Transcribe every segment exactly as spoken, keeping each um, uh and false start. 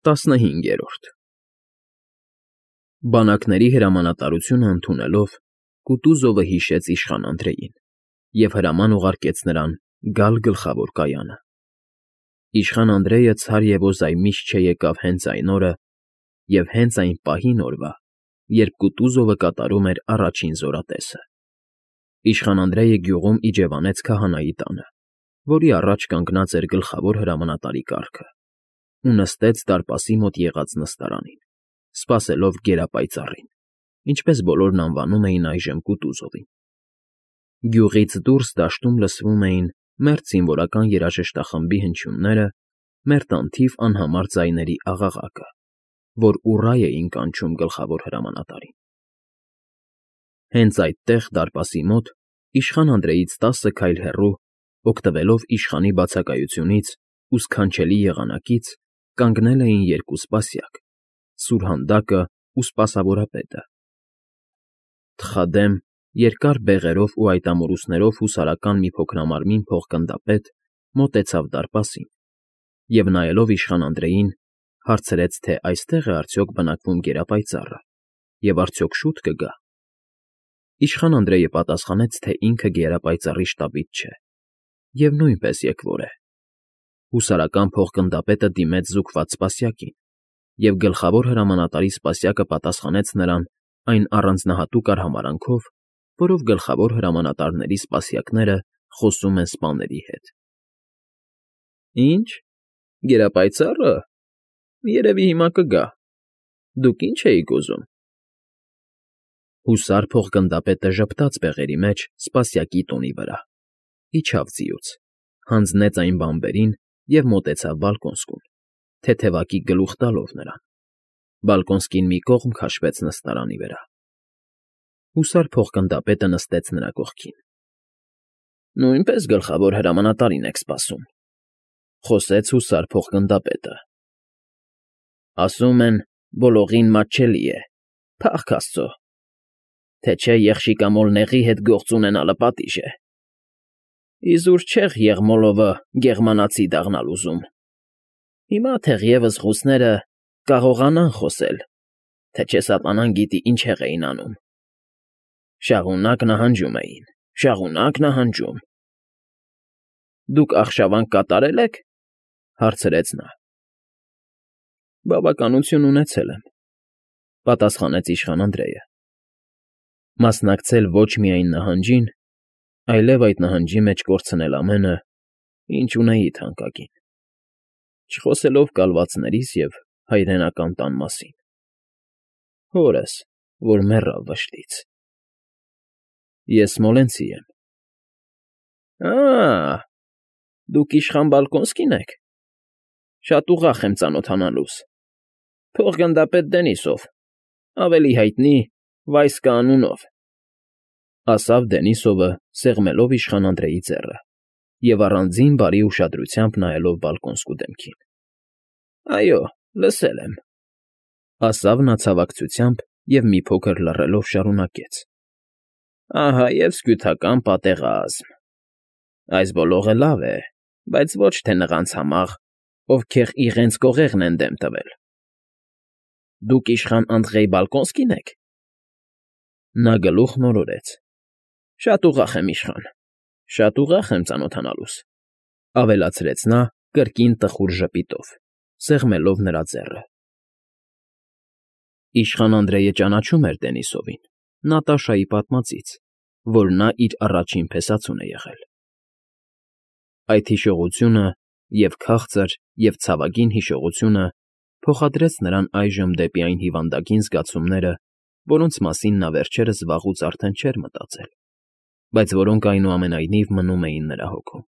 ՏԱՍՆՀԻՆԳԵՐՈՐԴ Բանակների հրամանատարությունը ընդունելով՝ Կուտուզովը հիշեց իշխան Անդրեյին և հրաման ուղարկեց նրան գալ գլխավոր կայանը. իշխան Անդրեյը ցար և ոզայ միշտ չեկավ հենց այն օրը և հենց այն պահին օրվա, երբ Կուտուզովը կատարում էր առաջին զորատեսը. իշխան Անդրեյը գյուղում իջևանեց քահանայի տանը, որի առաջ կանգնած էր գլխավոր հրամանատարի կառքը, ու նստեց դարպասի մոտ եղած նստարանին, սպասելով գերապայծառին, ինչպես բոլորն անվանում էին այժմ Կուտուզովին. գյուղից դուրս դաշտում լսվում էին մերթ զինվորական երաժշտախմբի հնչյունները, մերթ անթիվ անհամար ձայների աղաղակը, որ ուռա էին կանչում գլխավոր հրամանատարին։ Հենց այդտեղ, դարպասի մոտ, իշխան Անդրեյից տասը քայլ հեռու, օգտվելով իշխանի բացակայությունից ու սքանչելի եղանակից, կանգնել էին երկու սպասյակ՝ սուրհանդակն ու սպասավորապետը։ Թխադեմ, երկար բեղերով ու այտամորուսներով հուսարական մի փոքրամարմին փոխ֊գնդապետ մոտեցավ դարպասին և, նայելով իշխան Անդրեյին, հարցրեց, թե այստե՞ղ է արդյոք բնակվում գերապայծառը և արդյոք շուտ կգա։ Իշխան Անդրեյը պատասխանեց, թե ինքը գերապայծառի շտաբից չէ և նույնպես եկվոր է։ Հուսարական փոխ֊գնդապետը դիմեց զուգված սպասյակին, և գլխավոր հրամանատարի սպասյակը պատասխանեց նրան այն առանձնահատուկ արհամարհանքով, որով գլխավոր հրամանատարների սպասյակները խոսում են սպաների հետ։ ֊ Ի՞նչ, գերապայծառը… Երևի հիմա կգա… Դուք ի՞նչ էիք ուզում։ Հուսար փոխ֊գնդապետը ժպտաց բեղերի մեջ սպասյակի տունի վրա, իջավ ձիուց, հանձնեց այն բանբերին և մոտեցավ Բալկոնսկուն, թեթևակի գլուխ տալով նրան. Բալկոնսկին մի կողմ քաշվեց նստարանի վրա։ Հուսար փոխ֊գնդապետը նստեց նրա կողքին։ ֊ Նույնպե՞ս գլխավոր հրամանատարին եք սպասում,֊ խոսեց հուսար փոխ֊գնդապետը։ ֊ Ասում են, ոլորին մատչելի է, փառք աստծո, թե չէ եղշիկամոլնեղի հետ գործ ունենալը պատիժ է։ Իզուր չեղ եղմոլովը գեղմանացի դառնալ ուզում. հիմա թեղևս ռուսները կկարողանան խոսել, թե չէ սատանան գիտի ինչեր էին անում. շարունակ նահանջում էին, շարունակ նահանջում։ ֊ Դուք արշավանք կատարե՞լ եք,֊ հարցրեց նա։ ֊ Բավականություն ունեցել եմ,֊ պատասխանեց իշխան Անդրեյը։ Մասնակցել ոչ միայն նահանջին, այլև այդ նահանջի մեջ կորցնել ամենը, ինչ ունեի թանկագին, չխոսելով կալվածներիս և հայրենական տան մասին, հորս, որ մեռավ վշտից։ Ես Սմոլենցի եմ։ ֊ Ա՜, դուք իշխան Բալկոնսկին եք… Շատ ուրախ եմ ծանոթանալուս… Փոխ֊գնդապետ Դենիսով, ավելի հայտնի Վայսկա անունով,֊ ասավ Դենիսովը, սեղմելով իշխան Անդրեյի ձեռը և առանձին բարի ուշադրությամբ նայելով Բալկոնսկու դեմքին։ ֊ Այո, լսել եմ,֊ ասավ նա ցավակցությամբ և մի փոքր լռելով շարունակեց,֊ ահա և սքյութական պատերազմ… Այս բոլորը լավ է, բայց ոչ թե նրանց համար, ովքեր իրենց կողերն են դեմ տվել։ ֊ Դուք իշխան Անդրեյ Բալկոնսկի՞ն եք։ Նա գլուխն օրորեց։ ֊ Շատ ուրախ եմ, իշխան, շատ ուրախ եմ ծանոթանալուս,֊ ավելացրեց նա կրկին տխուր ժպիտով, սեղմելով նրա ձեռը։ Իշխան Անդրեյը ճանաչում էր Դենիսովին Նատաշայի պատմածից, որ նա իր առաջին փեսացուն է եղել։ Այդ հիշողությունը, և՛ քաղցր, և՛ ցավագին հիշողությունը փոխադրեց նրան այժմ դեպի այն հիվանդագին զգացումները, որոնց մասին նա վերջերս վաղուց արդեն չէր մտածել, բայց որոնք, այնուամենայնիվ, մնում էին նրա հոգում,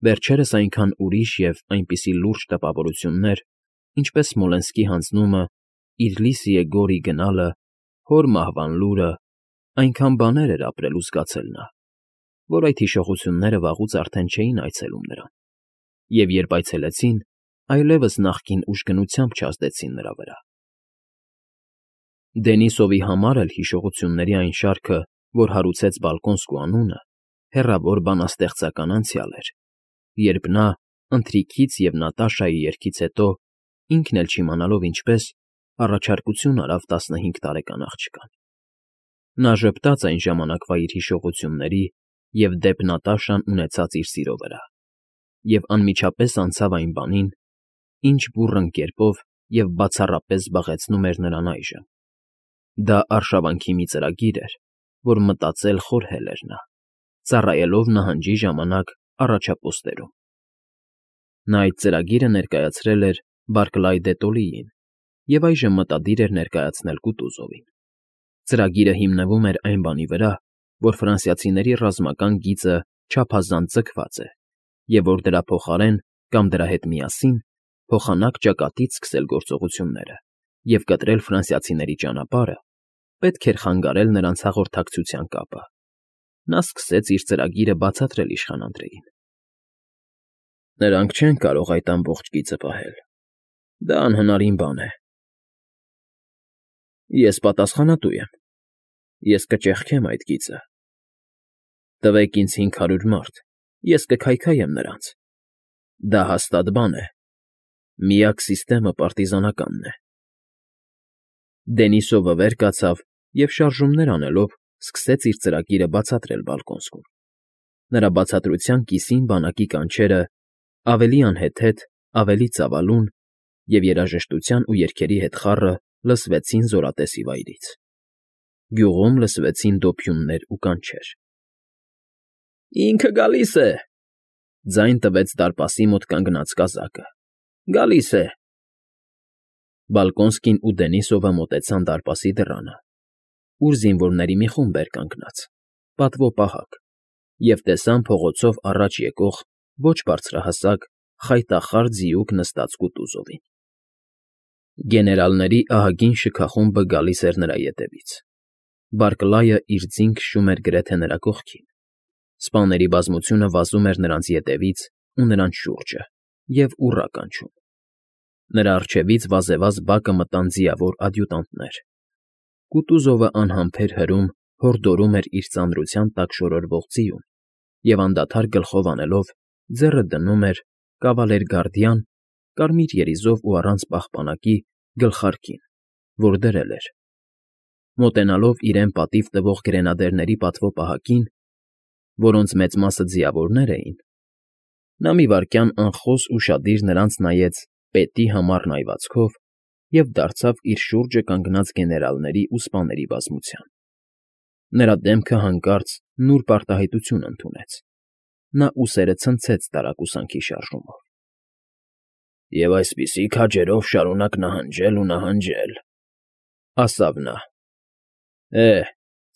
վերջերս այնքան ուրիշ և այնպիսի լուրջ տպավորություններ, ինչպես Սմոլենսկի հանձնումը, իր Լիսիե Գորի գնալը, հոր մահվան լուրը, այնքան բաներ էր ապրել ու զգացել նա, որ այդ հիշողությունները վաղուց արդեն չէին այցելում նրան, և երբ այցելեցին, այլևս նախկին ուժգնությամբ չազդեցին նրա վրա։ Դենիսովի համար էլ հիշողությունների այն շարքը, որ հարուցեց Բալկոնսկու անունը, հեռավոր բանաստեղծական անցյալ էր, երբ նա, ընթրիքից և Նատաշայի երգից հետո, ինքն էլ չիմանալով ինչպես, առաջարկություն արավ տասնհինգ տարեկան աղջկան։ Նա ժպտաց այն ժամանակվա իր հիշողությունների և դեպ Նատաշան ունեցած իր սիրո վրա, և անմիջապես անցավ այն բանին, ինչ բուռն կերպով և բացառապես զբաղեցնում էր նրան այժմ. դա արշավանքի մի ծրագիր էր, որ մտածել խորհել էր նա, ծառայելով նահանջի ժամանակ առաջապոստերում։ Նա այդ ծրագիրը ներկայացրել էր Բարքլայ դե Տոլիին և այժմ մտադիր էր ներկայացնել Կուտուզովին։ Ծրագիրը հիմնվում էր այն բանի վրա, որ ֆրանսիացիների ռազմական գիծը չափազանց ձգված է, և որ դրա փոխարեն կամ դրա հետ միասին փոխանակ ճակատից սկսել գործողությունները և կտրել ֆրանսիացիների ճանապարհը, պետք էր խանգարել նրանց հաղորդակցության կապը։ Նա սկսեց իր ծրագիրը բացատրել իշխան Անդրեին։ Նրանք չեն կարող այդ ամբողջ գիծը պահել, դա անհնարին բան է։ Ես պատասխանատու եմ, ես կճեղքեմ այդ գիծը։ Տվեք ինձ հինգ հարյուր մարդ, ես կքայքայեմ նրանց։ Դա հաստատ բան է, միակ սիստեմը պարտիզանականն է։ Դենիսովը վեր կացավ և շարժումներ անելով սկսեց իր ծրագիրը բացատրել Բալկոնսկուն։ Նրա բացատրության կիսին բանակի կանչերը, ավելի անհեթեթ, ավելի ծավալուն և երաժշտության ու երգերի հետ խառը լսվեցին զորատեսի վայրից։ Գյուղում լսվեցին դոփյուններ ու կանչեր։ Ինքը գալիս է,֊ ձայն տվեց դարպասի մոտ կանգնած կազակը։֊ Գալիս է… Բալկոնսկին ու Դենիսովը մոտեցան դարպասի դռանը, ուր զինվորների մի խումբ էր կանգնած, պատվո պահակ, և տեսան փողոցով առաջ եկող ոչ բարձրահասակ, խայտախառ ձիուկ նստած Կուտուզովին։ Գեներալների ահագին շքախումբը գալիս էր նրա ետևից։ Բարքլայը իր ձին քշում էր գրեթե նրա կողքին։ Սպաների բազմությունը վազում էր նրանց ետևից ու նրանց շուրջը և ուռա կանչում։ Նրա առջևից վազեվազ բակը մտան ձիավոր ադյուտանտներ։ Կուտուզովը անհամբեր հրում, հորդորում էր իր ծանրության տակ շորորվող ձիուն և անդադար գլխով անելով ձեռը դնում էր կավալերգարդյան, կարմիր երիզով ու առանց պահպանակի, գլխարկին, որ դրել էր։ Մոտենալով իրեն պատիվ տվող գրենադերների պատվո պահակին, որոնց մեծ մասը ձիավորներ էին, նա մի վայրկյան անխոս ուշադիր նրանց նայեց պետի համառ նայվածքով և դարձավ իր շուրջը կանգնած գեներալների ու սպաների բազմության։ Նրա դեմքը հանկարծ նուրբ արտահայտություն ընդունեց։ Նա ուսերը ցնցեց տարակուսանքի շարժումով։ ֊ Եվ այսպիսի քաջերով շարունակ նահանջել ու նահանջել,֊ ասավ նա։ ֊ Է՜,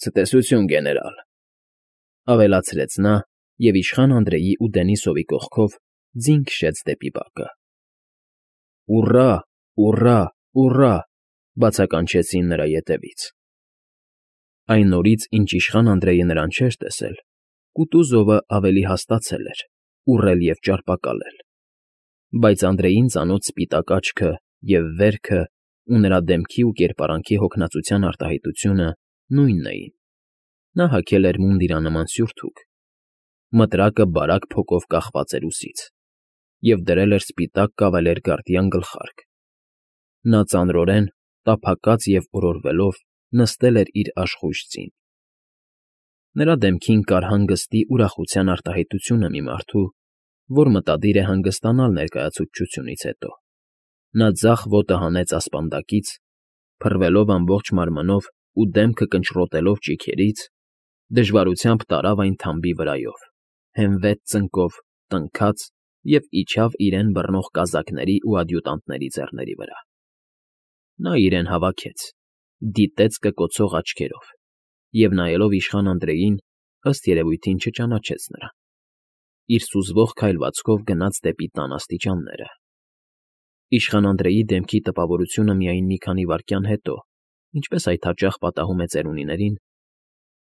ցտեսություն, գեներալ,֊ ավելացրեց նա և իշխան Անդրեյի ու Դենիսովի կողքով ձին քշեց դեպի բակը։ Ուռա, ուռա, ուռա…֊ բացականչեցին նրա ետևից։ Այն օրից, ինչ իշխան Անդրեյը նրան չէր տեսել, Կուտուզովը ավելի հաստացել էր, ուռել և ճարպակալել։ Բայց Անդրեյին ծանոթ սպիտակ աչքը և վերքը ու նրա դեմքի ու կերպարանքի հոգնածության արտահայտությունը նույնն էին։ Նա հագել էր մունդիրանման սյուրթուք, մտրակը բարակ փոկով կախված էր ուսից, և դրել էր սպիտակ կավալերգարդյան գլխարկ։ Նա ծանրորեն, տափակած և օրորվելով նստել էր իր աշխույժ ձին։ Նրա դեմքին կար հանգստի ուրախության արտահայտությունը մի մարդու, որ մտադիր է հանգստանալ ներկայացուցչությունից հետո։ Նա ձախ ոտը հանեց ասպանդակից, փռվելով ամբողջ մարմնով ու դեմքը կնճռոտելով ճիգերից, դժվարությամբ տարավ այն թամբի վրայով, հենվեց ծնկով, տնքաց և իջավ իրեն բռնող կազակների ու ադյուտանտների ձեռների վրա։ Նա իրեն հավաքեց, դիտեց կկոցող աչքերով և, նայելով իշխան Անդրեյին, ըստ երևույթին չճանաչեց նրան։ Իր սուզվող քայլվածքով գնաց դեպի տան աստիճանները։ Իշխան Անդրեյի դեմքի տպավորությունը միայն մի քանի վայրկյան հետո, ինչպես այդ հաճախ պատահում է ծերունիներին,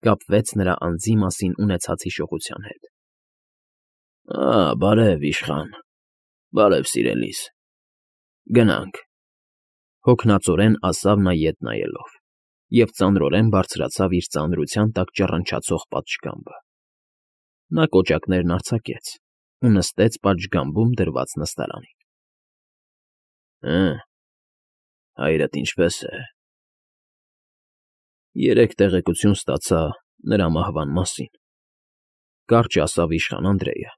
կապվեց նրա անձի մասին ունեցած հիշողության հետ։ ֊ Բարև, իշխան, բարև, սիրելիս, գնանք,֊ հոգնածորեն ասավ նա ետ նայելով և ծանրորեն բարձրացավ իր ծանրության տակ ճռնչացող պատշգամբը։ Նա կոճակներն արձակեց ու նստեց պատշգամբում դրված նստարանին։ Հը, հայրդ ինչպե՞ս է։ Երեք տեղեկություն ստացա նրա մահվան մասին,֊ կարճ ասավ իշխան Անդրեյը։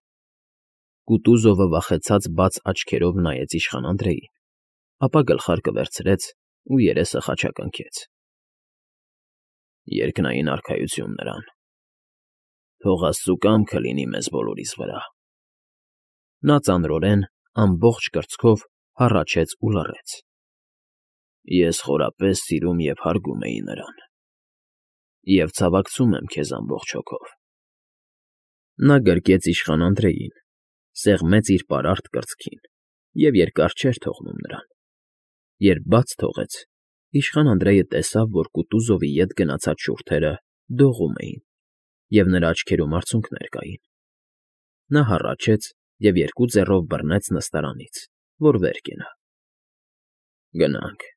Կուտուզովը վախեցած բաց աչքերով նայեց իշխան Անդրեյին, ապա գլխարկը վերցրեց ու երեսը խաչակնքեց։ Երկնային արքայություն նրան։ Թող Աստծու կամքը լինի մեզ բոլորիս վրա։ Նա ծանրորեն, ամբողջ կրծքով հառաչեց ու լռեց։ Ես խորապես սիրում և հարգում էի նրան, և ցավակցում եմ քեզ ամբողջ հոգով։ Նա գրկեց իշխան Անդրեյին, սեղմեց իր պարարտ կրծքին և երկար չէր թողնում նրան։ Երբ բաց թողեց, իշխան Անդրեյը տեսավ, որ Կուտուզովի ետ գնացած շուրթերը դողում էին, և նրա աչքերում արցունքներ կային։ Նա հառաչեց և երկու ձեռով բռնեց նստարանից, որ վեր կենա։ Գնանք,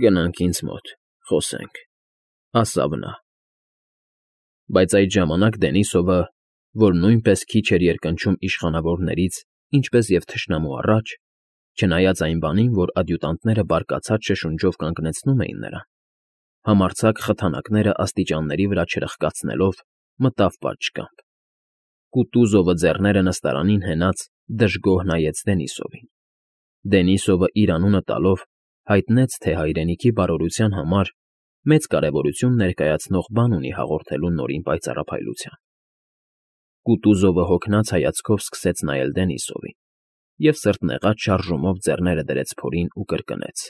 գնանք ինձ մոտ, խոսենք,֊ ասավ նա։ Բայց այդ ժամանակ Դենիսովը, որ նույնպես քիչ էր երկնչում իշխանավորներից, ինչպես և թշնամու առաջ, չնայած այն բանին, որ ադյուտանտները բարկացած շշունջով կանգնեցնում էին նրան, համարձակ խթանակները աստիճանների վրա չրխկացնելով, մտավ պատշգամբ։ Կուտուզովը ձեռները նստարանին հենած դժգոհ նայեց Դենիսովին։ Դենիսովը իր անունը տալով հայտնեց, թե հայրենիքի բարօրության համար մեծ կարևորություն ներկայացնող բան ունի հաղորդելու Նորին պայծառափայլության։ Կուտուզովը հոգնած հայացքով սկսեց նայել Դենիսովին և սրտնեղած շարժումով ձեռները դրեց փորին ու կրկնեց.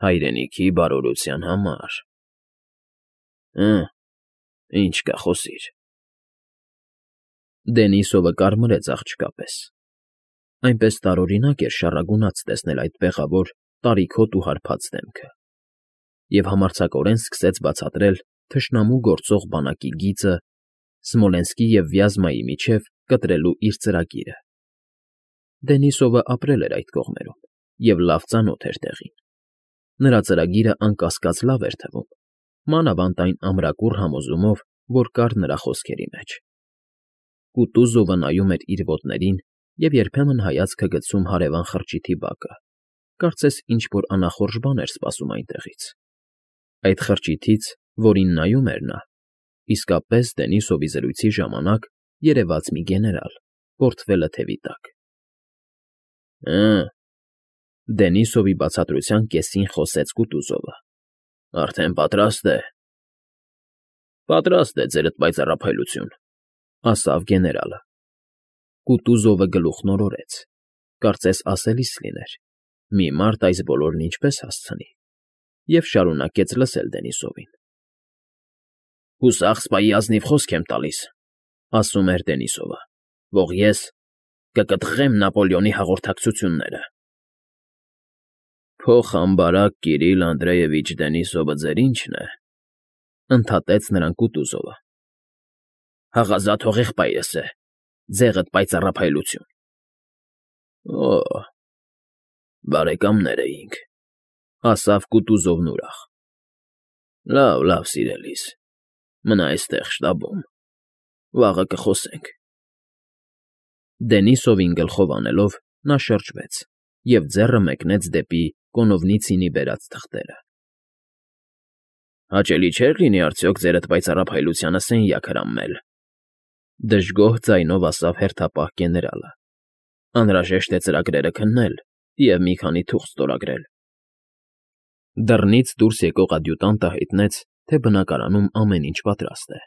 Հայրենիքի բարօրության համար… Հը, ինչ կա, խոսիր։ Դենիսովը կարմրեց աղջկա պես։ Այնպես տարօրինակ էր շառագունած տեսնել այդ բեղավոր, տարիքոտ ու հարբած դեմքը, և համարձակորեն սկսեց բացատրել թշնամու գործող բանակի գիծը Սմոլենսկի և Վյազմայի միջև կտրելու իր ծրագիրը։ Դենիսովը ապրել էր այդ կողմերում և լավ ծանոթ էր տեղին։ Նրա ծրագիրը անկասկած լավ էր թվում, մանավանդ այն ամրակուռ համոզումով, որ կար նրա խոսքերի մեջ։ Կուտուզովը նայում էր իր ոտներին և երբեմն հայացքը գցում հարևան խրճիթի բակը, կարծես ինչ֊որ անախորժ բան էր սպասում այնտեղից։ Այդ խրճիթից, որին նայում էր նա, իսկապես Դենիսովի զրույցի ժամանակ երևաց մի գեներալ, պորտֆելը թևի տակ։ Հը, Դենիսովի բացատրության կեսին խոսեց Կուտուզովը,֊ արդեն պատրաստ է։ Պատրաստ է, ձերդ պայծառափայլություն,֊ ասավ գեներալը։ Կուտուզովը գլուխն օրորեց, կարծես ասելիս լիներ. մի մարդ այս բոլորն ինչպես հասցնի, և շարունակեց լսել Դենիսովին։ Հուսախս պահի ազնիվ խոսք եմ տալիս,֊ ասում էր Դենիսովը,֊ որ ես կկտրեմ Նապոլեոնի հաղորդակցությունները։ Փոխամբարակ Կիրիլ Անդրեևիչ Դենիսովը ձեր ի՞նչն է,֊ ընդհատեց նրան Կուտուզովը։ Հաղազատ հողեղբայրս է, ձեղդ պայծառափայլություն։ Օ՜, բարեկամներ էինք,֊ ասավ Կուտուզովն ուրախ։ Լավ, լավ, սիրելիս, մնա էստեղ շտաբում, վաղը կխոսենք։ Դենիսովին գլխով անելով՝ նա շրջվեց և ձեռը մեկնեց դեպի Կոնովնիցինի բերած թղթերը։ Հաճելի չէր լինի արդյոք ձերդ պայծառափայլությանը սենյակ հրամել,֊ դժգոհ ձայնով ասավ հերթապահ գեներալը։ Անհրաժեշտ է ծրագրերը քննել և մի քանի թուղթ ստորագրել։ Դռնից դուրս եկող ադյուտանտը հայտնեց, թե բնակարանում ամեն ինչ պատրաստ է,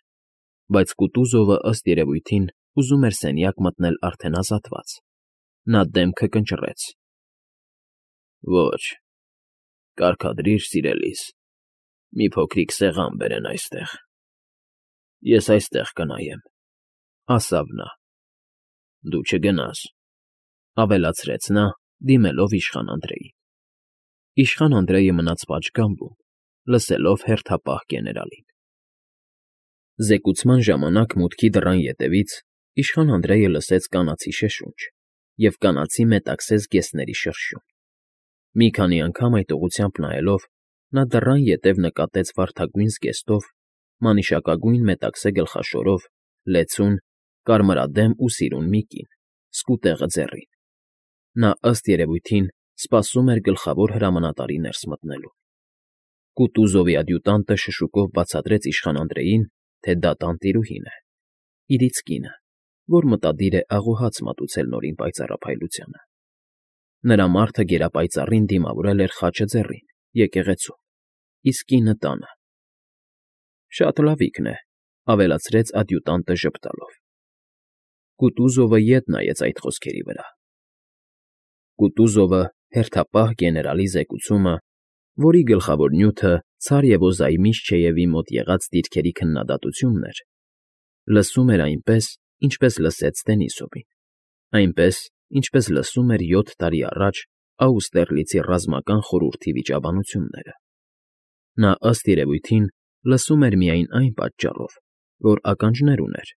բայց Կուտուզովը, ըստ երևույթին, ուզում էր սենյակ մտնել արդեն ազատված։ Նա դեմքը կնճռեց։ Ոչ, կարգադրիր, սիրելիս, մի փոքրիկ սեղան բերեն այստեղ։ Ես այստեղ կնայեմ,֊ ասավ նա։ Դու չգնաս,֊ ավելացրեց նա, դիմելով իշխան Անդրեյին։ Իշխան Անդրեյը մնաց պատշգամբում, լսելով հերթապահ գեներալին։ Զեկուցման ժամանակ մուտքի դռան ետևից իշխան Անդրեյը լսեց կանացի շշունջ և կանացի մետաքսես ģեսների շրշյուն։ Մի քանի անգամ այդ ուղղությամբ նայելով՝ նա դռան ետև նկատեց վարդագույն զգեստով, մանիշակագույն մետաքսե գլխաշորով, լեցուն, կարմրադեմ ու սիրուն մի կին, սկուտեղը ձեռին։ Նա, ըստ երևույթին, սպասում էր գլխավոր հրամանատարի ներս մտնելու։ Կուտուզովի ադյուտանտը շշուկով բացատրեց իշխան Անդրեյին, թե դա տանտիրուհին է, իրից կինը, որ մտադիր է աղոհաց մատուցել նորին պայծառափայլությանը։ Նրա մարդը գերապայծառին դիմավորել էր խաչը ձեռին, եկեղեցում, իսկ կինը տանը։ Շատ լավիկն է, ավելացրեց ադյուտանտը ժպտալով։ Կուտուզովը ետ նայեց այդ խոսքերի վրա։ Կուտուզովը հերթապահ գեներալի զեկուցումը, որի գլխավոր նյութը Ցարևոզայի Միշչեևի մոտ եղած դիրքերի քննադատությունն էր, լսում էր այնպես, ինչպես լսեց Դենիսովին, այնպես, ինչպես լսում էր յոթ տարի առաջ Աուստերլիցի ռազմական խորհրդի վիճաբանությունները։ Նա, ըստ երևույթին, լսում էր միայն այն պատճառով, որ ականջներ ուներ,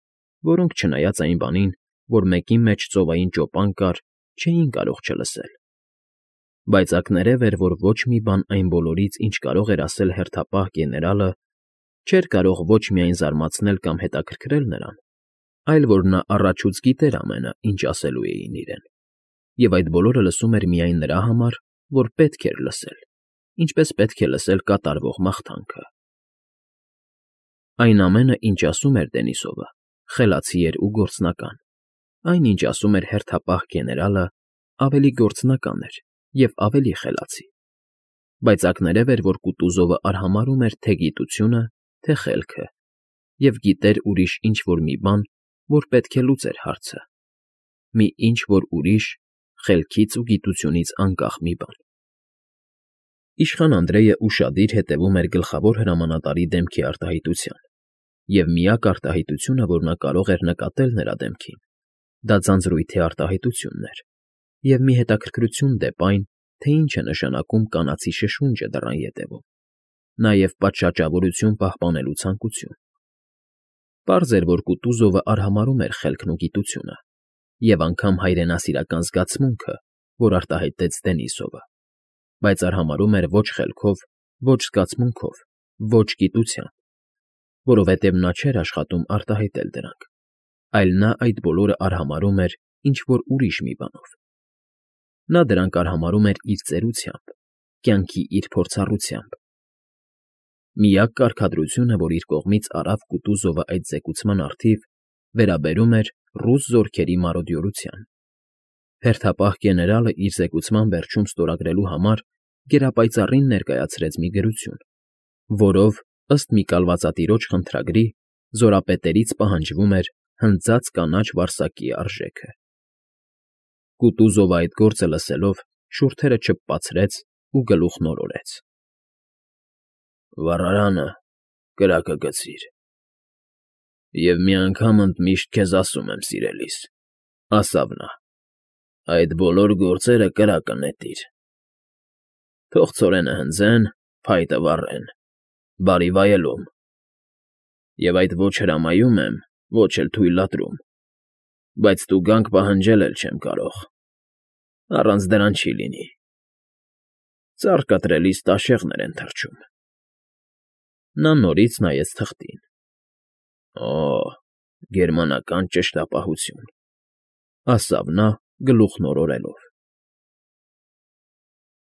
որոնք, չնայած այն բանին, որ մեկի մեջ ծովային ճոպան կար, չէին կարող չլսել։ Բայց ակներև էր, որ ոչ մի բան այն բոլորից, ինչ կարող էր ասել հերթապահ գեներալը, չէր կարող ոչ միայն զարմացնել կամ հետաքրքրել նրան, այլ որ նա առաջուց գիտեր ամենը, ինչ ասելու էին իրեն, և այդ բոլորը լսում էր միայն նրա համար, որ պետք էր լսել, ինչպես պետք է լսել կատարվող մաղթանքը։ Այն ամենը, ինչ ասում էր Դենիսովը, խելացի էր ու գործնական, այն, ինչ ասում էր հերթապահ գեներալը, ավելի գործնական էր և ավելի խելացի, բայց ակներև էր, որ Կուտուզովը արհամարհում էր թե գիտությունը, թե խելքը, և գիտեր ուրիշ ինչ֊որ մի բան, որ պետք է լուծեր հարցը, մի ինչ֊որ ուրիշ, խելքից ու գիտությունից անկախ մի բան։ Իշխան Անդրեյը ուշադիր հետևում էր գլխավոր հրամանատարի դեմքի արտահայտության, և միակ արտահայտությունը, որ նա կարող էր նկատել նրա դեմքին, դա ձանձրույթի արտահայտությունն էր, և մի հետաքրքրություն դեպ այն, թե ինչ է նշանակում կանացի շշունջը դռան ետևում, նաև պատշաճավորություն պահպանելու ցանկություն։ Պարզ էր, որ Կուտուզովը արհամարհում էր խելքն ու գիտությունը, և անգամ հայրենասիրական զգացմունքը, որ արտահայտեց Դենիսովը, բայց արհամարհում էր ոչ խելքով, ոչ զգացմունքով, ոչ գիտությամբ, որովհետև նա չէր աշխատում արտահայտել դրանք, այլ նա այդ բոլորը արհամարհում էր ինչ֊որ ուրիշ մի բանով։ Նա դրանք արհամարհում էր իր ծերությամբ, կյանքի իր փորձառությամբ։ Միակ կարգադրությունը, որ իր կողմից արավ Կուտուզովը այդ զեկուցման առթիվ, վերաբերում էր ռուս զորքերի մարոդյորությանը։ Հերթապահ գեներալը իր զեկուցման վերջում ստորագրելու համար գերապայծառին ներկայացրեց մի գրություն, որով, ըստ մի կալվածատիրոջ խնդրագրի, զորապետերից պահանջվում էր հնձած կանաչ վարսակի արժեքը։ Կուտուզովը այդ գործը լսելով շուրթերը չփպացրեց ու գլուխն օրորեց։ Վառարանը կրակը գցիր։ Եվ մի անգամ ընդմիշտ քեզ ասում եմ, սիրելիս, ասավ նա, այդ բոլոր գործերը կրակը նետիր։ Թող ցորենը հնձեն, փայտը վառեն, բարի վայելում։ Եվ այդ ոչ հրամայում եմ, ոչ էլ թույլատրում, բայց տուգանք պահանջել էլ չեմ կարող, առանց դրան չի լինի։ Ծառ կտրելիս տաշեղներ են թռչում։ Նա նորից նայեց թղթին։ Օ, գերմանական ճշտապահություն, ասավ նա գլուխն օրորելով։